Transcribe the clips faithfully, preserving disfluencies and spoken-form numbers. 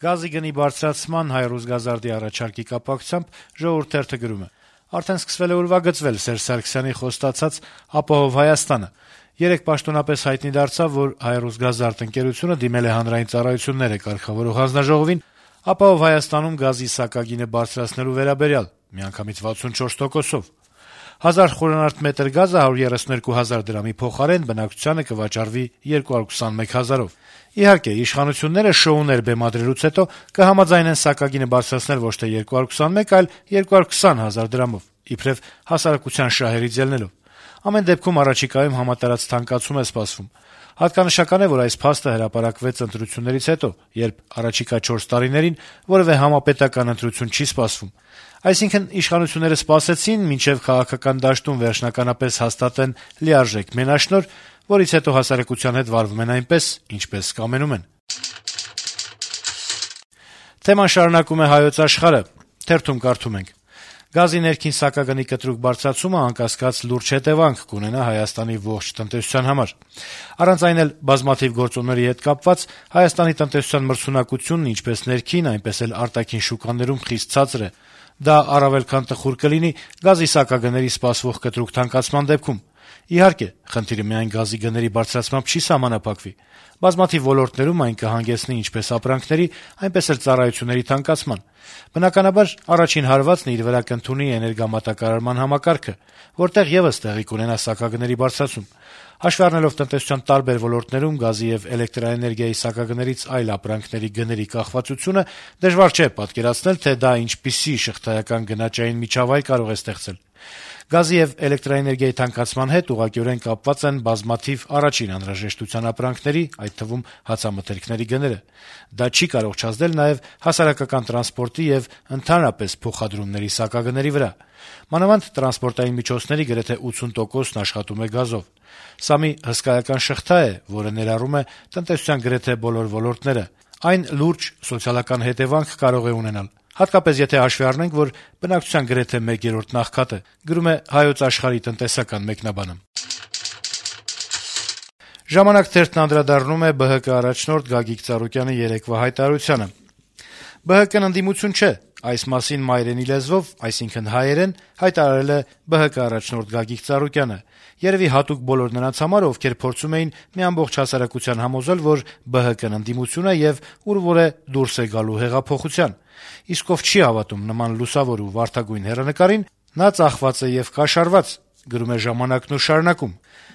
Գազի գնի բարձրացման Հայ-Ռուսգազարդի առաջարկի կապակցությամբ «Ժողովուրդ» թերթը գրում է. - «Արդեն սկսվել է ուրվագծվել Սերժ Սարգսյանի խոստացած «Ապահով Հայաստանը»։ Երեկ պաշտոնապես հայտնի դարձավ, որ Հայ-Ռուսգազարդ ընկերությունը դիմել է Հանրային ծառայություններ է կարգավորող հանձնաժողովին «Ապահով Հայաստանում» գազի սակագինը բարձրացնելու վերաբերյալ, միանգամից վաթսունչորս տոկոսով։ Հազար խորանարդ մետր գազը հարյուր երեսուներկու հազար դրամի փոխարեն բնակչությանը կվաճառվի երկու հարյուր քսանմեկ հազարով։ Իհարկե, իշխանությունները շոուներ բեմադրելուց հետո կհամաձայնեն սակագինը բարձրացնել ոչ թե երկու հարյուր քսանմեկ, այլ երկու հարյուր քսան հազար դրամով, իբրեւ հասարակության շահերից ելնելով։ Ամեն դեպքում առաջիկայում համատարած թանկացում է սպասվում։ Հատկանշական է, որ այս փաստը հրապարակվեց ընտրություններից հետո, երբ առաջիկա չորս տարիներին որեւէ համապետական ընտրություն չի սպասվում։ Այսինքն, իշխանությունները սպասեցին, մինչեւ քաղաքական դաշտում վերջնականապես հաստատեն լիարժեք մենաշնորհ, որից հետո հասարակության հետ վարվում են այնպես, ինչպես կամենում են»։ Թեման շարունակում է «Հայոց Աշխարհ»-ը։ Թերթում կարդում ենք. - «Գազի ներքին սակագնի կտրուկ բարձրացումը անկասկած լուրջ հետեւանք կունենա Հայաստանի ողջ տնտեսության համար։ Առանց այն էլ բազմաթիվ գործոնների հետ կապված Հայաստանի տնտեսության մրցունակությունն ինչպես ներքին, այնպես էլ արտաքին շուկաներում խիստ ցածր է։ Դա առավել քան տխուր կլինի գազի սակագների սպասվող կտրուկ թանկացման դեպքում։ Իհարկե, խնդիրը միայն գազի գների բարձրացմամբ չի սահմանափակվի։ Բազմաթիվ ոլորտներում այն կհանգեցնի ինչպես ապրանքների, այնպես էլ ծառայությունների թանկացման։ Բնականաբար, առաջին հարվածն իր վրա կընդունի էներգամատակարարման համակարգը, որտեղ եւս տեղի կունենա սակագների բարձրացում։ Հաշվի առնելով տնտեսության տարբեր ոլորտներում գազի եւ էլեկտրաէներգիայի սակագներից այլ ապրանքների գների կախվածությունը, դժվար չէ պատկերացնել, թե դա ինչպիսի շղթայական գնաճային միջավայր կարող է ստեղծել։ Գազի եւ էլեկտրաէներգիայի թանկացման հետ ուղղակիորեն կապված են բազմաթիվ առաջին անհրաժեշտության ապրանքների, այդ թվում հացամթերքների գները։ Դա չի կարող չազդել նաեւ հասարակական տրանսպորտի եւ ընդհանրապես փոխադրումների սակագների վրա։ Մանավանդ տրանսպորտային միջոցների գրեթե ութսուն տոկոսն աշխատում է գազով։ Սա մի հսկայական շղթա է, որը ներառում է տնտեսության գրեթե բոլոր ոլորտները։ Այն լուրջ սոցիալական հետեւանք կարող է ունենալ, հատկապես եթե հաշվի առնենք, որ բնակչության գրեթե մեկ երրորդն աղքատ է, գրում է «Հայոց Աշխարհ»-ի տնտեսական մեկնաբանը։ «Ժամանակ» թերթն անդրադառնում է ԲՀԿ առաջնորդ Գագիկ Ծառուկյանի երեկվա հայտարարությանը. - «ԲՀԿ-ն ընդդիմություն չէ, այս մասին մայրենի լեզվով, այսինքն հայերեն, հայտարարել է ԲՀԿ առաջնորդ Գագիկ Ծառուկյանը, երեւի հատուկ բոլոր նրանց համար, ովքեր փորձում էին մի ամբողջ հասարակության համոզել, որ ԲՀԿ-ն ընդդիմություն է եւ ուր-որ է դուրս է գալու հեղափոխության։ Իսկ ով չի հավատում նման լուսավոր ու վարդագույն հեռանկարին, նա ծախված է եւ կաշառված», գրում է «Ժամանակ»-ն ու շարունակում.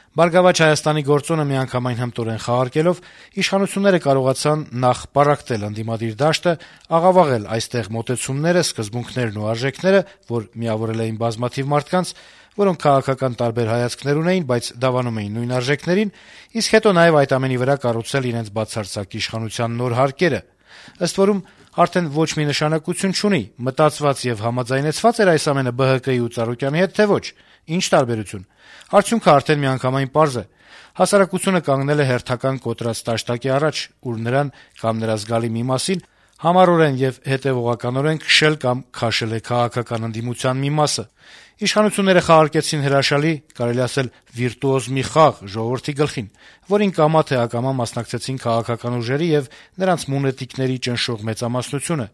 «Բարգավաճ Հայաստանի գործոնը միանգամայն հմտորեն խաղարկելով, իշխանությունները կարողացան նախ պառակտել ընդդիմադիր դաշտը, աղավաղել այստեղ մոտեցումները, սկզբունքներն ու արժեքները, որ միավորել էին բազմաթիվ մարդկանց, որոնք քաղաքական տարբեր հայացքներ ունեին, բայց դավանում էին նույն արժեքներին, իսկ հետո նաեւ այդ ամենի վրա կառուցել իրենց բացարձակ իշխանության նոր հարկերը։ Ըստ որում, արդեն ոչ մի նշանակություն չունի՝ մտածված եւ համաձայնեցված էր այս ամենը ԲՀԿ-ի ու Ծառուկյանի հետ, թե ոչ։ Ինչ տարբերություն։ Արդյունքը արդեն միանգամայն պարզ է։ Հասարակությունը կանգնել է հերթական կոտրած տաշտակի առաջ, ուր նրան կամ նրա զգալի մի մասին համառորեն եւ հետեւողականորեն քշել կամ քաշել է քաղաքական ընդդիմության մի մասը։ Իշխանությունները խաղարկեցին հրաշալի, կարելի ասել վիրտուոզ մի խաղ ժողովրդի գլխին, որին կամա թե ակամա մասնակցեցին քաղաքական ուժերի եւ նրանց մունետիկների ճնշող մեծամասնությունը»։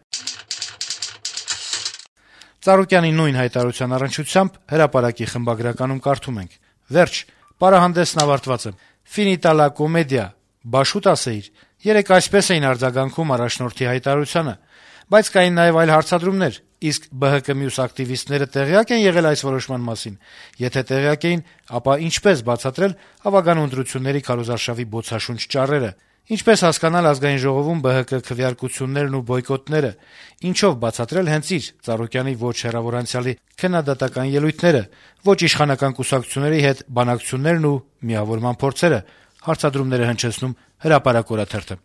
Ծառուկյանի նույն հայտարարության առնչությամբ «Հրապարակ»-ի խմբագրականում կարդում ենք. - «Վերջ, պարահանդեսն ավարտված է։ Finita la commedia, բաշուտ ասեիր։ Երեկ այսպես էին արձագանքում առաջնորդի հայտարարությանը։ Բայց կային նաեւ այլ հարցադրումներ, իսկ ԲՀԿ մյուս ակտիվիստները տեղյակ են եղել այս որոշման մասին։ Եթե տեղյակ էին, ապա ինչպես բացատրել ավագանու ընտրությունների քարոզարշավի բոցաշունչ ճառերը։ Ինչպես հասկանալ Ազգային ժողովում ԲՀԿ քվեարկություններն ու բոյկոտները։ Ինչով բացատրել հենց իր Ծառուկյանի ոչ հեռավոր անցյալի քննադատական ելույթները, ոչ իշխանական կուսակցությունների հետ բանակցություններն ու միավորման փորձերը», հարցադրումները հնչեցնում «Հրապարակ» օրաթերթը։